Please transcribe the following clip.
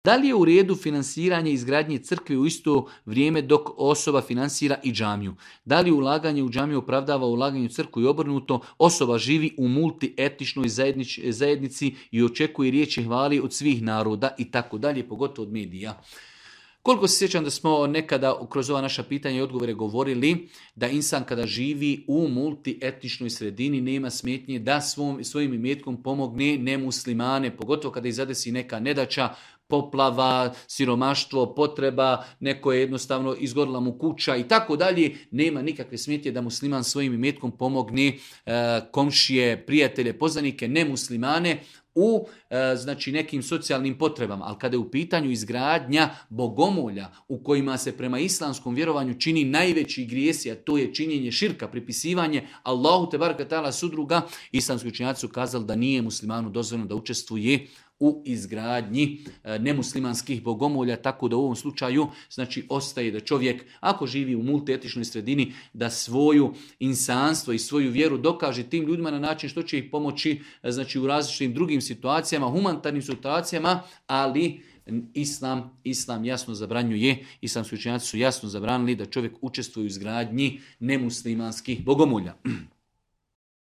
Da li je u redu finansiranje izgradnje crkve u isto vrijeme dok osoba finansira i džamiju? Da li ulaganje u džamiju opravdava ulaganje u crkvu i obrnuto? Osoba živi u multietničnoj zajednici i očekuje riječi hvali od svih naroda i tako dalje, pogotovo od medija. Koliko se sjećam da smo nekada kroz ova naša pitanja i odgovore govorili da insan kada živi u multietničnoj sredini nema smetnje da svojim imetkom pomogne nemuslimane, pogotovo kada ih zadesi neka nedaća, poplava, siromaštvo, potreba, neko je jednostavno izgorila mu kuća i tako dalje. Nema nikakve smetnje da musliman svojim imetkom pomogne komšije, prijatelje, poznanike, nemuslimane u znači nekim socijalnim potrebama, ali kada je u pitanju izgradnja bogomolja u kojima se prema islamskom vjerovanju čini najveći grijesi, a to je činjenje širka, pripisivanje Allahu te baraka ta'ala sudruga, islamski učenjaci su kazali da nije muslimanu dozvoljeno da učestvuje u izgradnji nemuslimanskih bogomolja, tako da u ovom slučaju znači ostaje da čovjek ako živi u multietničnoj sredini da svoju insanstvo i svoju vjeru dokaže tim ljudima na način što će ih pomoći znači u različitim drugim situacijama, humanitarnim situacijama, ali Islam jasno zabranjuje, islamski učenjaci su jasno zabranili da čovjek učestvuje u izgradnji nemuslimanskih bogomolja.